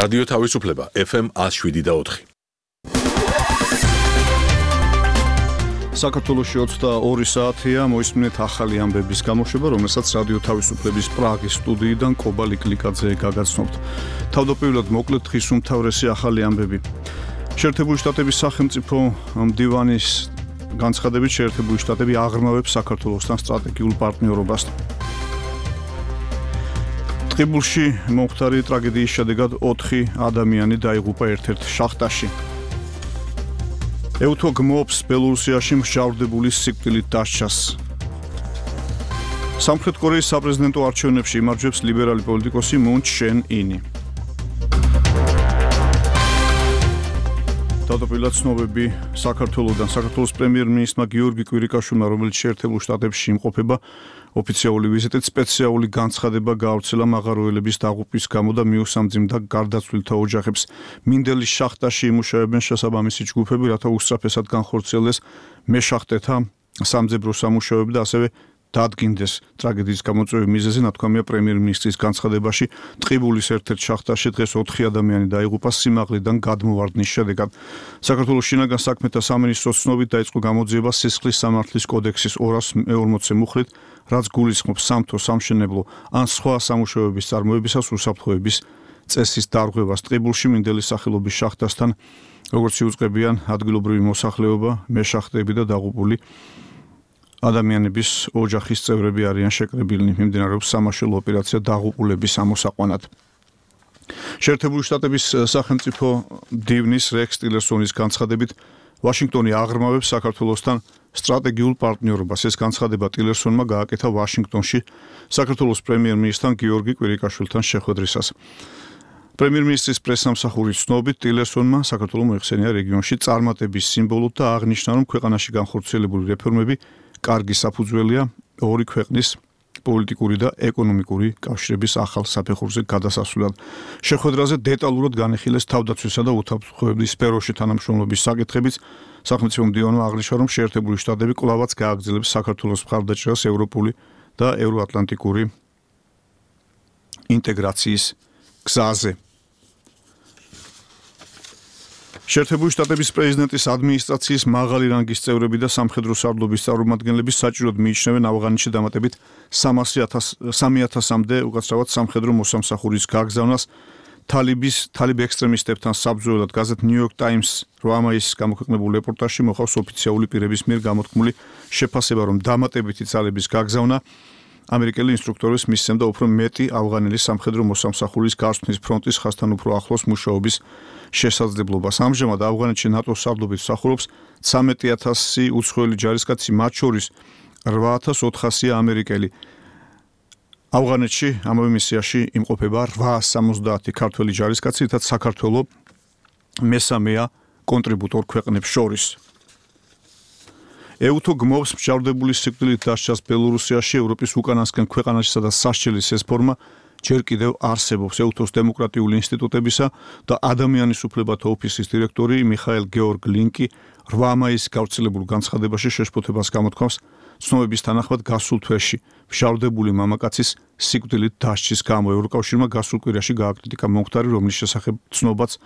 რადიო თავისუფლება FM 107.4. საქართველოში 22 საათია, მოისმინეთ ახალი ამბების გამოშვება, რომელსაც რადიო თავისუფლების პრაღის სტუდიიდან კობა ლიკლიკაძე გაგაცნობთ. თავდაპირველად მოკლედ დღის უმთავრესი ახალი ამბები. შეერთებული შტატების სახელმწიფო მდივანის განცხადებით, შეერთებული შტატები აღრმავებს საქართველოსთან სტრატეგიულ პარტნიორობას. ტყიბულში მომხდარი ტრაგედიის შედეგად 4 ადამიანი დაიღუპა ერთ-ერთ შახტაში. ევთო გმობს ბელორუსიაში მსჯავრდებული სიკვდილით დასჯას. სამხრეთ კორეის საპრეზიდენტო არჩევნებში იმარჯვებს ლიბერალი პოლიტიკოსი მუნ ჩენ ინი. თავდაპირველად ცნობები საქართველოსდან. საქართველოს პრემიერ-მინისტრმა გიორგი კვირიკაშვილმა, რომელიც შეერთებულ შტატებში იმყოფება, ოფიციალური ვიზიტით სპეციალური განცხადება გაავრცელა მაღაროელების დაღუპვის გამო და მიუსამძიმდა გარდაცვლილთა ოჯახებს. მინდელის შახტაში იმუშავებენ შესაბამისი ჯგუფები, რათა უსწრაფესად განხორციელდეს მეშახტეთა სამძებრო სამუშაოები და ასევე დადგინდეს ტრაგედიის გამოწვევი მიზეზი. ნათქვამია პრემიერ-მინისტრის განცხადებაში, ტყიბულის ერთ-ერთ შახტაში დღეს 4 ადამიანი დაიღუპა სიმაღლიდან გადმოვარდნის შედეგად. საქართველოს შინაგან საქმეთა სამინისტროს ცნობით დაიწყო გამოძიება სისხლის სამართლის კოდექსის 240 მუხლით, რაც გულისხმობს სამთო, სამშენებლო ან სხვა სამუშაოების წარმოებისას უსაფრთხოების წესის დარღვევას. ტყიბულში მინდელის სახელობის შახტასთან, როგორც იუწყებიან ადგილობრივი მოსახლეობა, მეშახტეები და დაღუპული ადამიანების ოჯახის წევრები არიან შეკრებილნი. მიმდინარეობს სამაშველო ოპერაცია დაღუპულების ამოსაყვანად. შეერთებული შტატების სახელმწიფო მდივნის რექს ტილერსონის განცხადებით, ვაშინგტონი აღრმავებს საქართველოსთან სტრატეგიულ პარტნიორობას. ეს განცხადება ტილერსონმა გააკეთა ვაშინგტონში საქართველოს პრემიერ-მინისტრთან გიორგი კვირიკაშვილთან შეხვედრისას. პრემიერ-მინისტრის პრესსამსახურის ცნობით, ტილერსონმა საქართველოს მოიხსენია რეგიონში წარმატების სიმბოლოდ და აღნიშნა, რომ ქვეყანაში განხორციელებული რეფორმები კარგი საფუძველია ორი ქვეყნის პოლიტიკური და ეკონომიკური კავშირების ახალ საფეხურზე გადასასვლელად. შეხვედრაზე დეტალურად განიხილეს თავდაცვისა და უთანხმოების სფეროში თანამშრომლობის საკითხებიც. სახელმწიფო მდივანმა აღნიშნა, რომ შეერთებული შტატები კვლავაც გააგრძელებს საქართველოს მხარდაჭერას ევროპული და ევროატლანტიკური ინტეგრაციის გზაზე. შეერთებული შტატების პრეზიდენტის ადმინისტრაციის მაღალი რანგის წევრები და სამხედრო სარდლობის წარმომადგენლები საჭიროდ მიიჩნევენ ავღანეთში დამატებით 300-მდე უკაცრავად სამხედრო მოსამსახურის გაგზავნას. თალიბ ექსტრემისტებთან საბრძოლველად გაზეთ New York Times 8 მაისს გამოქვეყნებულ რეპორტაჟში მოხავს ოფიციალური პირების მიერ გამოთქმული შეფასება, რომ დამატებითი ძალების გაგზავნა ამერიკელი ინსტრუქტორის მისცემდა უფრო მეტი ავღანელი სამხედრო მოსამსახურის გასვლის ფრონტის ხაზთან უფრო ახლოს მუშაობის შესაძლებლობას. ამჟამად ავღანეთში ნატოს სარდლობით მსახურობს 13,000 უცხოელი ჯარისკაცი, მათ შორის 8,400 ამერიკელი. ავღანეთში ამავე მისიაში იმყოფება 870 ქართველი ჯარისკაცი, რითაც საქართველო მესამეა კონტრიბუტორ ქვეყნებს შორის. ევთო გმობს მსჯავრდებული სიკვდილით დასჯას ბელორუსიაში, ევროპის უკანასკენ ქვეყანაშისა და სასჯელის ეს ფორმა ჯერ კიდევ არსებობს. ევთოს დემოკრატიული ინსტიტუტებისა და ადამიანის უფლებათა ოფისის დირექტორი მიხაილ გეორგ ლინკი 8 მაისს გავრცელებულ განცხადებაში შეშფოთებას გამოთქვამს ცნობების თანახმად გასულ თვეში მსჯავრდებული მამაკაცის სიკვდილით დასჯის გამო. ევროკავშირმა გასულ კვირაში გააკრიტიკა მომხდარი, რომლის შესახებ ცნობაც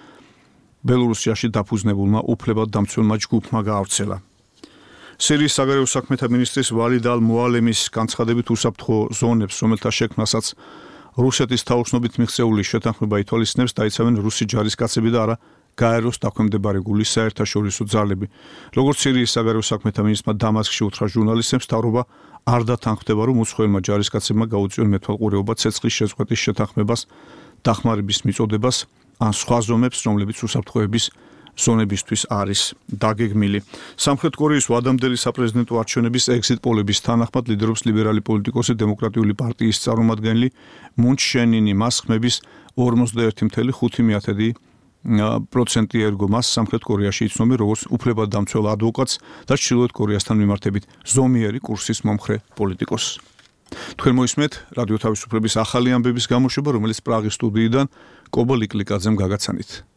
ბელორუსიაში დაფუძნებულმა უფლებადდამცველმა ჯგუფმა გაავრცელა. სირიის საგარეო საქმეთა მინისტრის ვალიდ ალ-მუალემის განცხადებით, უსაფრთხო ზონებს, რომელთა შექმნასაც რუსეთის თაოსნობით მიღწეული შეთანხმება ითვალისწინებს, დაიცავენ რუსი ჯარისკაცები და არა გაეროს დაქვემდებარებული საერთაშორისო ძალები. როგორც სირიის საგარეო საქმეთა მინისტრმა დამასკში უთხრა ჟურნალისტებს, მთავრობა არ დათანხმდება, რომ უცხოელმა ჯარისკაცებმა გაუწიონ მეთვალყურეობა ცეცხლის შეწყვეტის შეთანხმებას, დახმარების მიწოდებას ან სხვა ზომებს, რომლებიც უსაფრთხოების ზონებისთვის არის დაგეგმილი. სამხრეთ კორეის ვადამდელი საპრეზიდენტო არჩევნების ეგზიტ პოლების თანახმად ლიდერობს ლიბერალი პოლიტიკოსი დემოკრატიული პარტიის წარმომადგენელი მუნ ჩენ ინი. მას ხმების 41.5% ერგო. მას სამხრეთ კორეაში იცნობენ როგორც უფლებადდამცველ ადვოკატს და ჩრდილოეთ კორეასთან მიმართებით ზომიერი კურსის მომხრე პოლიტიკოსს. თქვენ მოისმენთ რადიო თავისუფლების ახალი ამბების გამოშვება, რომელიც პრაღის სტუდიიდან კობა ლიკლიკაძემ გაგაცანით.